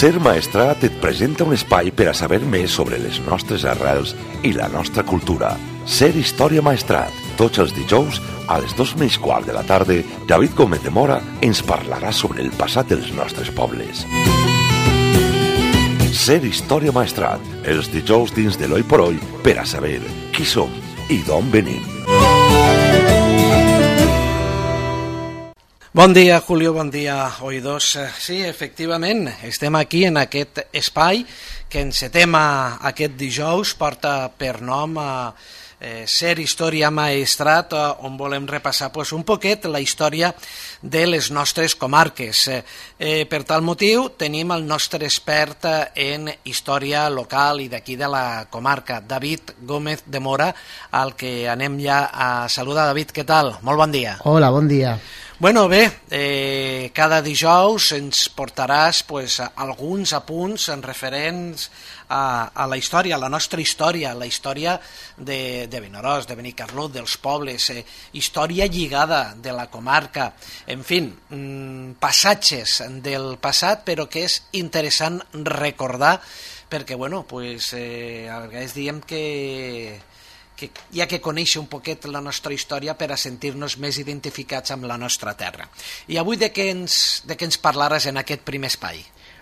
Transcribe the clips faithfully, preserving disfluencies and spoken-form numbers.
Ser Maestrat et presenta un espai per a saber més sobre les nostres arrels i la nostra cultura. Ser Història Maestrat. Tots els dijous, a les dos menys quart de la tarda, David Gómez de Mora ens parlarà sobre el passat dels nostres pobles. Ser Història Maestrat. Els dijous dins de l'Oi por Oi per a saber qui som i d'on venim. Bon dia, Julio, bon dia, oïdors. Sí, efectivament, estem aquí en aquest espai que encetem aquest dijous, porta per nom a eh, Ser Història Maestrat, on volem repassar pues, un poquet la història de les nostres comarques. Eh, per tal motiu tenim el nostre expert en història local i d'aquí de la comarca, David Gómez de Mora, al que anem ja a saludar. David, què tal? Molt bon dia. Hola, bon dia. Bueno, bé, eh, cada dijous ens portaràs pues, alguns apunts en referents a, a la història, a la nostra història, la història de, de Vinaròs, de Benicarló, dels pobles, eh, història lligada de la comarca, en fi, mm, passatges del passat, però que és interessant recordar, perquè, bueno, pues, eh, a vegades diem que... que hi ha que conèixer un poquet la nostra història per a sentir-nos més identificats amb la nostra terra. I avui de què ens, de què ens parlaràs en aquest primer espai?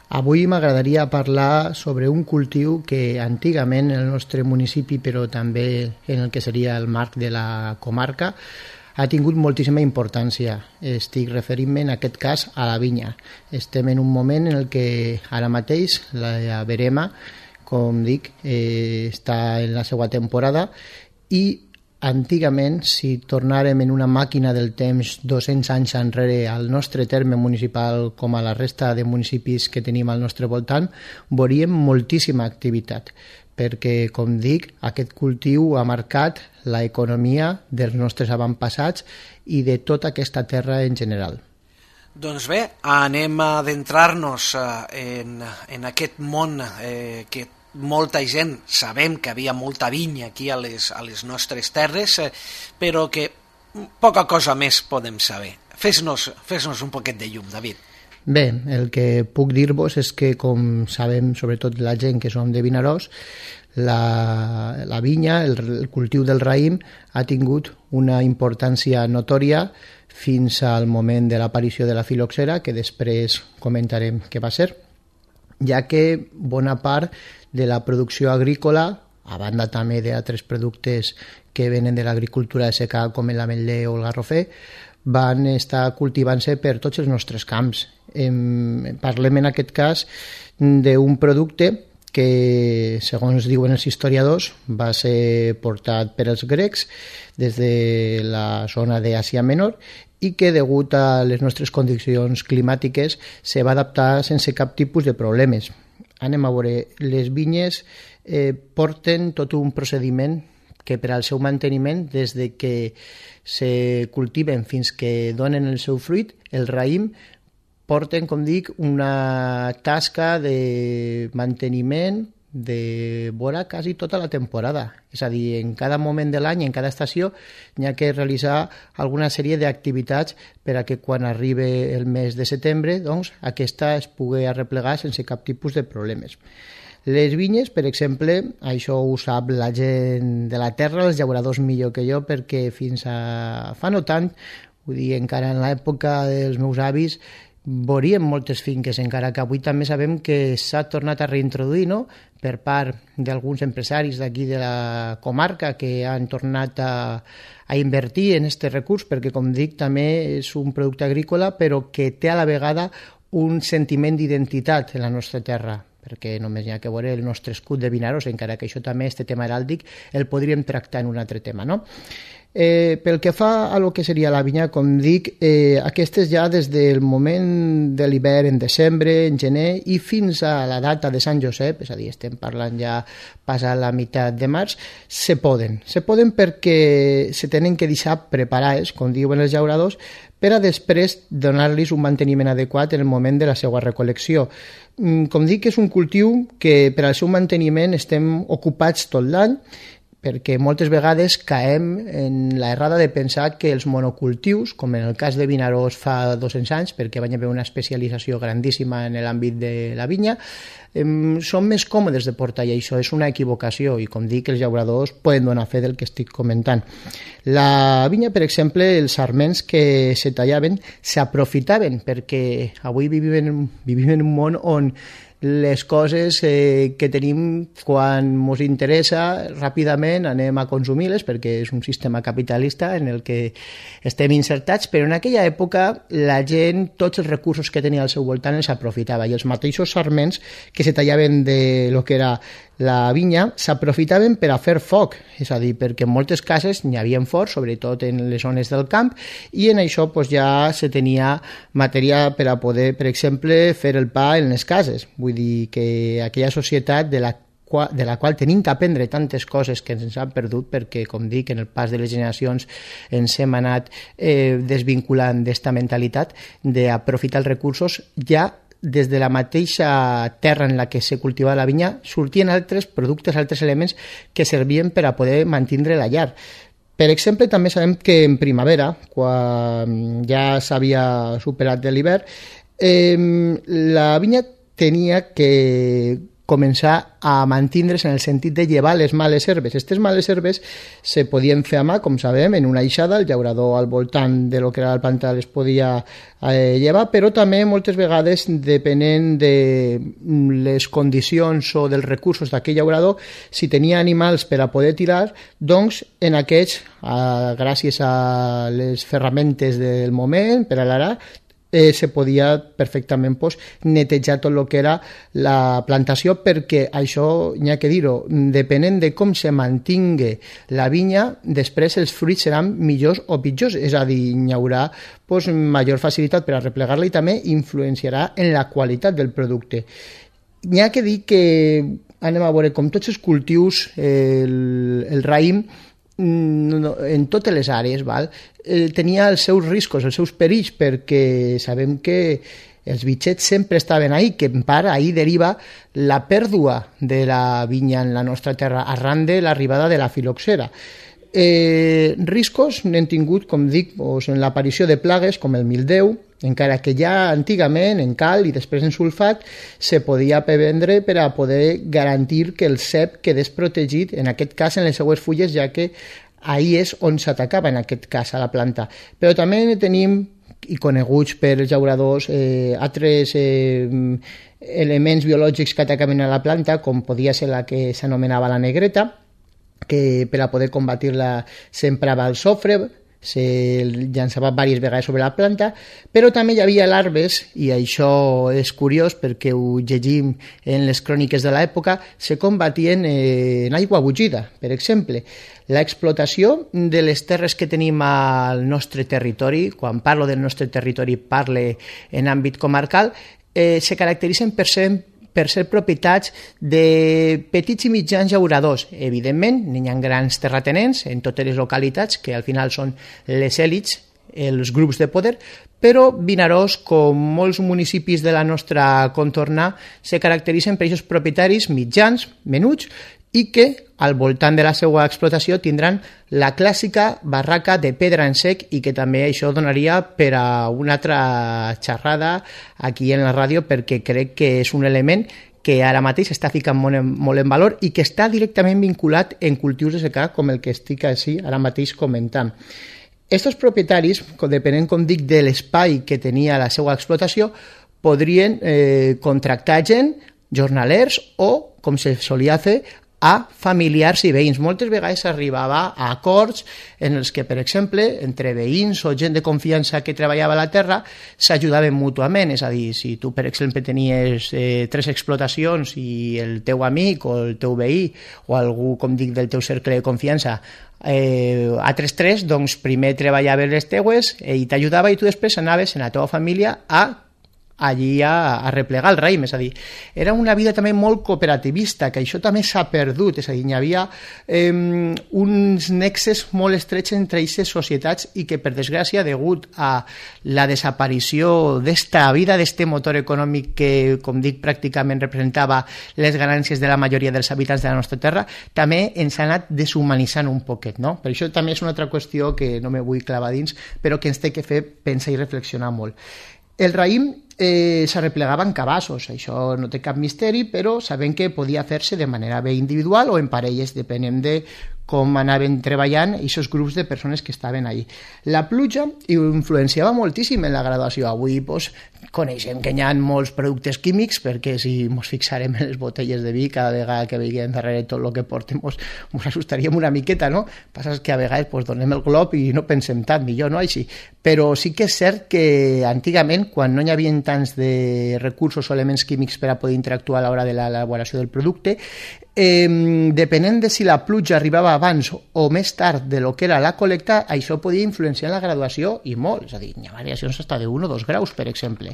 Avui m'agradaria parlar sobre un cultiu que antigament en el nostre municipi, però també en el que seria el marc de la comarca, ha tingut moltíssima importància. Estic referint-me en aquest cas a la vinya. Estem en un moment en el que ara mateix la verema, com dic, eh, està en la seva temporada i antigament, si tornàrem en una màquina del temps dos-cents anys enrere al nostre terme municipal com a la resta de municipis que tenim al nostre voltant, veuríem moltíssima activitat, perquè, com dic, aquest cultiu ha marcat l'economia dels nostres avantpassats i de tota aquesta terra en general. Doncs bé, anem a adentrar-nos en, en aquest món eh, que molta gent sabem que havia molta vinya aquí a les, a les nostres terres, eh, però que poca cosa més podem saber. Fes-nos fes-nos un poquet de llum, David. Bé, el que puc dir-vos és que, com sabem, sobretot la gent que som de Vinaròs, la, la vinya, el, el cultiu del raïm, ha tingut una importància notòria fins al moment de l'aparició de la filoxera, que després comentarem què va ser, ja que bona part de la producció agrícola, a banda també d'altres productes que venen de l'agricultura de secà com l'ametller o el garrofer, van estar cultivant-se per tots els nostres camps. Em, parlem en aquest cas d'un producte que, segons diuen els historiadors, va ser portat per els grecs des de la zona d'Àsia Menor i que, degut a les nostres condicions climàtiques, se va adaptar sense cap tipus de problemes. Anem a veure, les vinyes eh, porten tot un procediment que per al seu manteniment, des de que se cultiven fins que donen el seu fruit, el raïm, porten, com dic, una tasca de manteniment de vora quasi tota la temporada. És a dir, en cada moment de l'any, en cada estació, hi ha que realitzar alguna sèrie d'activitats per a que quan arribi el mes de setembre, doncs, aquesta es pugui arreplegar sense cap tipus de problemes. Les vinyes, per exemple, això ho sap la gent de la terra, els llauradors millor que jo, perquè fins a fa no tant, vull dir, encara en l'època dels meus avis, veuríem moltes finques, encara que avui també sabem que s'ha tornat a reintroduir, no?, per part d'alguns empresaris d'aquí de la comarca que han tornat a, a invertir en aquest recurs, perquè, com dic, també és un producte agrícola, però que té a la vegada un sentiment d'identitat en la nostra terra, perquè només hi ha que veure el nostre escut de Vinaròs, encara que això també, este tema heràldic, el podríem tractar en un altre tema, no? Eh, pel que fa a lo que seria la vinya, com dic, eh, aquestes ja des del moment de l'hivern, en desembre, en gener, i fins a la data de Sant Josep, és a dir, estem parlant ja passat la meitat de març, se poden. Se poden perquè se tenen que deixar preparades, com diuen els llauradors, per a després donar-los un manteniment adequat en el moment de la seva recol·lecció. Com dic, és un cultiu que per al seu manteniment estem ocupats tot l'any, perquè moltes vegades caem en l'errada de pensar que els monocultius, com en el cas de Vinaròs fa dos-cents anys, perquè van haver una especialització grandíssima en l'àmbit de la vinya, eh, són més còmodes de portar, i això és una equivocació, i com dic, els llauradors poden donar fe del que estic comentant. La vinya, per exemple, els sarments que se tallaven s'aprofitaven, perquè avui vivim, vivim en un món on les coses eh, que tenim quan ens interessa ràpidament anem a consumir-les perquè és un sistema capitalista en el que estem insertats, però en aquella època la gent, tots els recursos que tenia al seu voltant els aprofitava, i els mateixos sarments que se tallaven de lo que era la vinya s'aprofitaven per a fer foc, és a dir, perquè en moltes cases n'hi havia forts, sobretot en les zones del camp, i en això pues, ja se tenia matèria per a poder, per exemple, fer el pa en les cases. Vull dir que aquella societat de la de la qual tenim que aprendre tantes coses que ens han perdut, perquè, com dic, en el pas de les generacions ens hem anat eh, desvinculant d'esta mentalitat d'aprofitar els recursos. Ja des de la mateixa terra en la que se cultivava la vinya sortien altres productes, altres elements que servien per a poder mantenir la llar. Per exemple, també sabem que en primavera, quan ja s'havia superat de l'hivern, eh, la vinya tenia que començar a mantindre's en el sentit de llevar les males herbes. Aquestes males herbes se podien fer a mà, com sabem, en una eixada, el llaurador al voltant de lo que era la planta les podia eh, llevar, però també moltes vegades, depenent de les condicions o dels recursos d'aquell llaurador, si tenia animals per a poder tirar, doncs en aquests, eh, gràcies a les ferramentes del moment, per a l'arar, Eh, se podia perfectament pues, netejar tot el que era la plantació, perquè això, n'hi ha que dir-ho, depenent de com se mantingui la vinya, després els fruits seran millors o pitjors, és a dir, n'hi haurà pues, major facilitat per a replegar-la i també influenciarà en la qualitat del producte. N'hi ha que dir que, anem a veure, com tots els cultius, eh, el, el raïm, en totes les àrees, val? Eh, tenia els seus riscos, els seus perills, perquè sabem que els bitxets sempre estaven ahí, que en part ahí deriva la pèrdua de la vinya en la nostra terra arran de l'arribada de la filoxera. Eh, riscos n'hem tingut, com dic, doncs, en l'aparició de plagues com el mildeu, encara que ja antigament en cal i després en sulfat se podia prevendre per a poder garantir que el cep quedés protegit, en aquest cas en les seues fulles, ja que ahí és on s'atacava en aquest cas a la planta. Però també tenim, i coneguts per els llauradors, eh, altres eh, elements biològics que atacaven a la planta, com podia ser la que s'anomenava la negreta, que per a poder combatir-la s'emprava el sofre, se llançava diverses vegades sobre la planta, però també hi havia larves, i això és curiós perquè ho llegim en les cròniques de l'època, se combatien en aigua bugida, per exemple. L'explotació de les terres que tenim al nostre territori, quan parlo del nostre territori parle en àmbit comarcal, eh, se caracteritzen per ser per ser propietats de petits i mitjans llauradors. Evidentment, n'hi ha grans terratenents en totes les localitats, que al final són les èlits, els grups de poder, però Vinaròs, com molts municipis de la nostra contorna, se caracteritzen per aquests propietaris mitjans, menuts, i que al voltant de la seva explotació tindran la clàssica barraca de pedra en sec, i que també això donaria per a una altra xerrada aquí en la ràdio, perquè crec que és un element que ara mateix està ficant molt en, molt en valor i que està directament vinculat en cultius de secà com el que estic així ara mateix comentant. Estos propietaris, depenent, com dic, de l'espai que tenia la seva explotació, podrien eh, contractar gent, jornalers o, com se solia fer, a familiars i veïns. Moltes vegades s'arribava a acords en els que, per exemple, entre veïns o gent de confiança que treballava a la terra s'ajudaven mútuament. És a dir, si tu, per exemple, tenies eh, tres explotacions i el teu amic o el teu veí o algú, com dic, del teu cercle de confiança eh, altres tres, doncs primer treballaves les teues i t'ajudava, i tu després anaves en la teva família a allí a, a replegar el raïm, és a dir, era una vida també molt cooperativista, que això també s'ha perdut, és a dir, hi havia eh, uns nexes molt estrets entre aquestes societats i que, per desgràcia, degut a la desaparició d'esta vida, d'este motor econòmic que, com dic, pràcticament representava les ganàncies de la majoria dels habitants de la nostra terra, també ens ha anat deshumanitzant un poquet, no? Per això també és una altra qüestió que no me vull clavar dins, però que ens té que fer pensar i reflexionar molt. El raïm eh, s'arreplegava en cabassos, això no té cap misteri, però sabem que podia fer-se de manera bé individual o en parelles, depenent de com anaven treballant aquests grups de persones que estaven allí. La pluja influenciava moltíssim en la graduació. Avui doncs, coneixem que hi ha molts productes químics, perquè si ens fixarem en les botelles de vi, cada vegada que veiem darrere tot el que portem ens assustaríem una miqueta, no? Passa que a vegades doncs, donem el glob i no pensem tant, millor no així. Però sí que és cert que antigament, quan no hi havia tants de recursos o elements químics per a poder interactuar a l'hora de l'elaboració del producte, Eh, depenent de si la pluja arribava abans o més tard de lo que era la col·lecta, això podia influenciar en la graduació i molt, és a dir, hi ha variacions fins de un o dos graus, per exemple.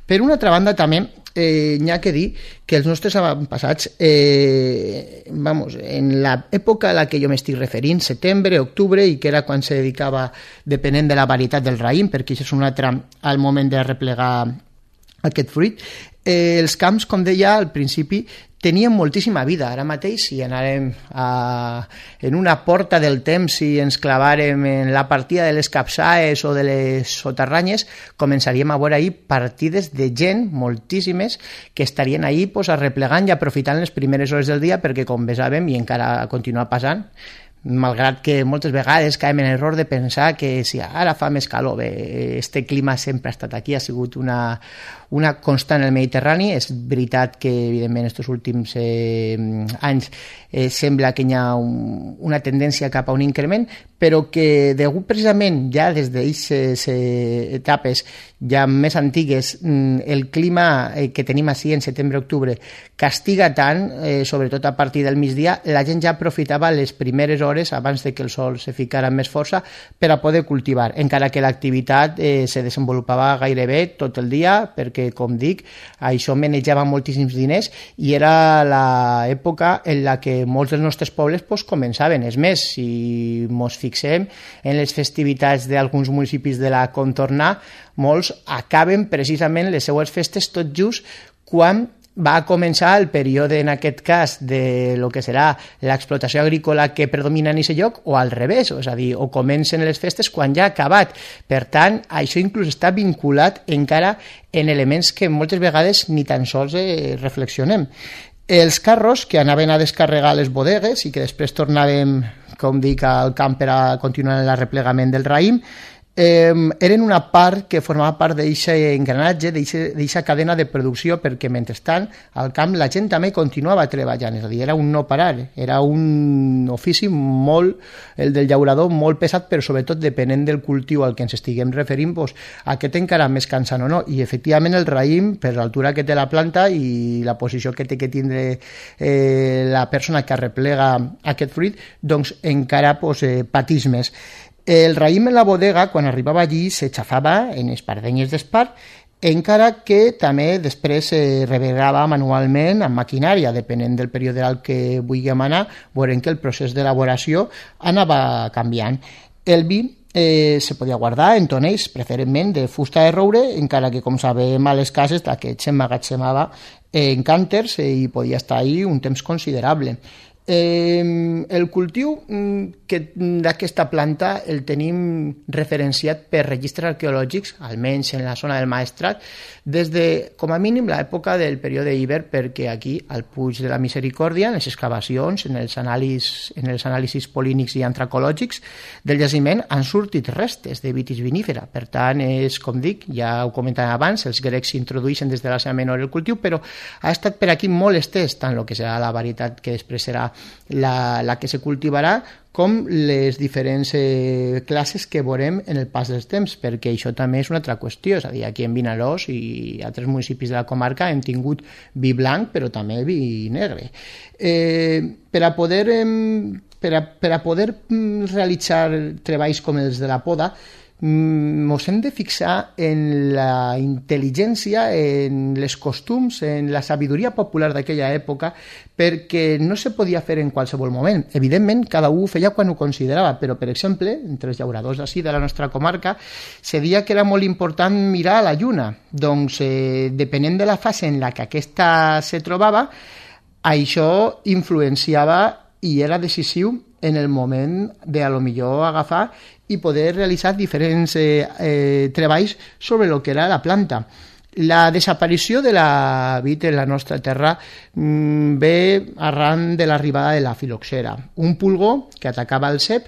Per una altra banda, també eh, n'hi ha que dir que els nostres avantpassats, eh, vamos, en l'època a la que jo m'estic referint, setembre, octubre, i que era quan se dedicava, depenent de la varietat del raïm, perquè això és un altre al moment de replegar aquest fruit, eh, els camps, com deia al principi, tenien moltíssima vida. Ara mateix, si anàrem a, en una porta del temps, si ens clavàrem en la partida de les capçaes o de les soterranyes, començaríem a veure ahir partides de gent, moltíssimes, que estarien ahir pues, arreplegant i aprofitant les primeres hores del dia, perquè, com bé sabem, i encara continua passant, malgrat que moltes vegades caiem en error de pensar que si ara fa més calor, bé, este clima sempre ha estat aquí, ha sigut una, una constant en el Mediterrani. És veritat que, evidentment, estos últims eh, anys eh, sembla que hi ha un, una tendència cap a un increment, però que degut precisament ja des d'aquestes eh, etapes ja més antigues, el clima eh, que tenim així en setembre-octubre castiga tant, eh, sobretot a partir del migdia, la gent ja aprofitava les primeres hores abans de que el sol se ficara amb més força per a poder cultivar, encara que l'activitat eh, se desenvolupava gairebé tot el dia, perquè, com dic, això manejava moltíssims diners i era l'època en la que molts dels nostres pobles pues, començaven. És més, si ens fixem en les festivitats d'alguns municipis de la contorna, molts acaben precisament les seues festes tot just quan va començar el període, en aquest cas, de lo que serà l'explotació agrícola que predomina en aquest lloc, o al revés, és a dir, o comencen les festes quan ja ha acabat. Per tant, això inclús està vinculat encara en elements que moltes vegades ni tan sols eh, reflexionem. Els carros que anaven a descarregar les bodegues i que després tornàvem, com dic, al camp per a continuar el replegament del raïm, Eh, eren una part que formava part d'aquest engranatge, d'aquesta cadena de producció, perquè mentrestant al camp la gent també continuava treballant, és a dir, era un no parar, era un ofici molt, el del llaurador, molt pesat, però sobretot depenent del cultiu al que ens estiguem referint, doncs, aquest encara més cansant o no, i efectivament el raïm, per l'altura que té la planta i la posició que té que tindre eh, la persona que arreplega aquest fruit, doncs encara doncs, eh, patís més. El raïm en la bodega, quan arribava allí, se xafava en espardenyes d'espart, encara que també després es reverava manualment amb maquinària, depenent del període al que vulguem anar, veurem que el procés d'elaboració anava canviant. El vi eh, se podia guardar en tonells, preferentment de fusta de roure, encara que, com sabem, a les cases d'aquest s'emmagatzemava en cànters i podia estar ahí un temps considerable. Eh, el cultiu que d'aquesta planta el tenim referenciat per registres arqueològics, almenys en la zona del Maestrat, des de, com a mínim, l'època del període Iber, perquè aquí, al Puig de la Misericòrdia, en les excavacions, en els anàlisis, en els anàlisis polínics i antracològics del jaciment, han sortit restes de vitis vinífera. Per tant, és, com dic, ja ho comentàvem abans, els grecs s'introdueixen des de l'Àsia Menor el cultiu, però ha estat per aquí molt estès, tant el que serà la varietat que després serà la, la que se cultivarà, com les diferents eh, classes que veurem en el pas dels temps, perquè això també és una altra qüestió, és a dir, aquí en Vinaròs i altres municipis de la comarca hem tingut vi blanc, però també vi negre. Eh, per a poder, eh, per a, per a poder realitzar treballs com els de la poda, ens hem de fixar en la intel·ligència, en les costums, en la sabidoria popular d'aquella època, perquè no se podia fer en qualsevol moment. Evidentment, cada un ho feia quan ho considerava, però, per exemple, entre els llauradors d'ací de la nostra comarca, se deia que era molt important mirar a la lluna. Doncs, eh, depenent de la fase en la que aquesta se trobava, això influenciava i era decisiu en el moment de, a lo millor, agafar i poder realitzar diferents eh, eh, treballs sobre el que era la planta. La desaparició de la vid en la nostra terra mmm, ve arran de l'arribada de la filoxera, un pulgó que atacava el cep,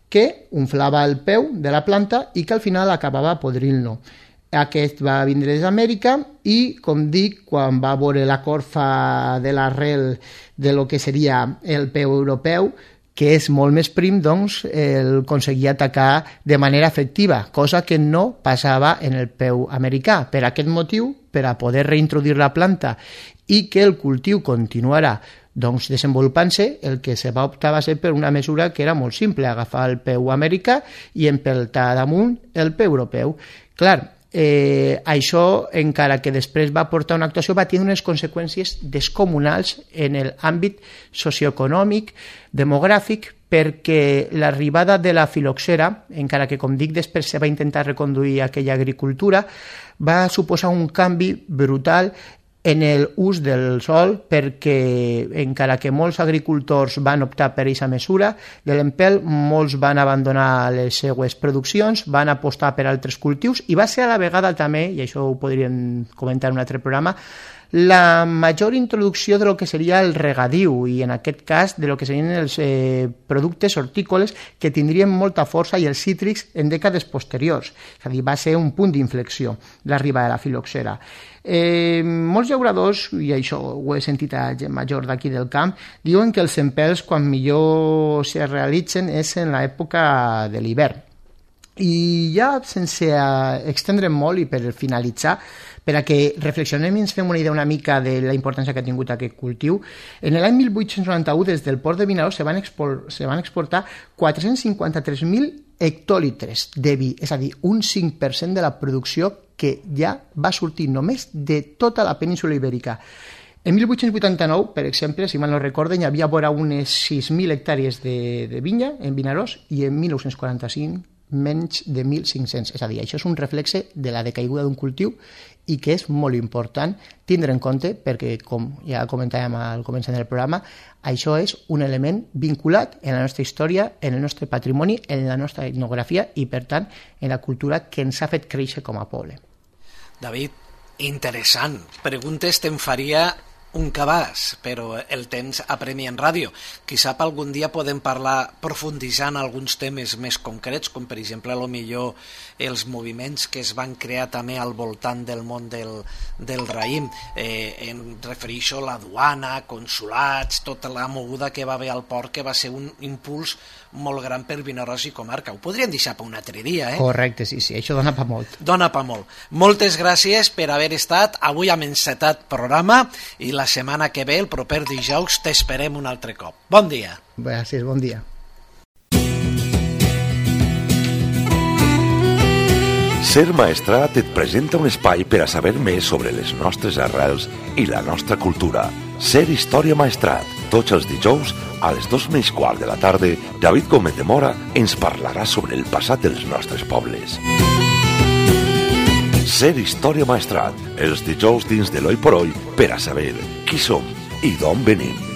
que unflava el peu de la planta i que al final acabava podrint-lo. Aquest va vindre des d'Amèrica i, com dic, quan va veure la corfa de l'arrel de lo que seria el peu europeu, que és molt més prim, doncs el aconseguia atacar de manera efectiva, cosa que no passava en el peu americà. Per aquest motiu, per a poder reintroduir la planta i que el cultiu continuara doncs, desenvolupant-se, el que se va optar va ser per una mesura que era molt simple, agafar el peu americà i empeltar damunt el peu europeu. Clar, Eh, això, encara que després va portar una actuació, va tenir unes conseqüències descomunals en l'àmbit socioeconòmic, demogràfic, perquè l'arribada de la filoxera, encara que, com dic, després se va intentar reconduir aquella agricultura, va suposar un canvi brutal en l'ús del sol, perquè encara que molts agricultors van optar per aquesta mesura de l'empelt, molts van abandonar les seues produccions, van apostar per altres cultius i va ser a la vegada també, i això ho podríem comentar en un altre programa, la major introducció de lo que seria el regadiu i en aquest cas de lo que serien els eh, productes hortícoles que tindrien molta força i els cítrics en dècades posteriors. És a dir, va ser un punt d'inflexió l'arribada de la filoxera. Eh, molts llauradors, i això ho he sentit a gent major d'aquí del camp, diuen que els empelts quan millor se realitzen és en l'època de l'hivern. I ja sense extendre'm molt i per finalitzar, per a que reflexionem i ens fem una idea una mica de la importància que ha tingut aquest cultiu, en l'any mil vuit-cents noranta-u des del port de Vinaròs se van, expor se van exportar quatre-cents cinquanta-tres mil hectòlitres de vi, és a dir, un cinc per cent de la producció que ja va sortir només de tota la península ibèrica. En mil vuit-cents vuitanta-nou, per exemple, si mal no recorden, hi havia vora unes sis mil hectàrees de, de vinya en Vinaròs i en mil nou-cents quaranta-cinc menys de mil cinc-cents. És a dir, això és un reflexe de la decaiguda d'un cultiu i que és molt important tindre en compte perquè, com ja comentàvem al començament del programa, això és un element vinculat en la nostra història, en el nostre patrimoni, en la nostra etnografia i, per tant, en la cultura que ens ha fet créixer com a poble. David, interessant. Preguntes te'n faria un cabàs, però el temps apremia en ràdio. Qui sap, algun dia podem parlar profunditzant alguns temes més concrets, com per exemple, a lo millor els moviments que es van crear també al voltant del món del, del raïm. Eh, em refereixo a la duana, consulats, tota la moguda que va haver al port, que va ser un impuls molt gran per Vinaròs i comarca. Ho podríem deixar per un altre dia, eh? Correcte, sí, sí, això dona pa molt. Dona pa molt. Moltes gràcies per haver estat. Avui hem encetat programa i la setmana que ve, el proper dijous, t'esperem un altre cop. Bon dia. Gràcies, bon dia. Ser Maestrat et presenta un espai per a saber més sobre les nostres arrels i la nostra cultura. Ser Història Maestrat. Tots els dijous, a les dos menys quart de la tarda, David Gómez de Mora ens parlarà sobre el passat dels nostres pobles. Ser Història Maestrat. Els dijous dins de l'Oi por Oi per a saber qui som i d'on venim.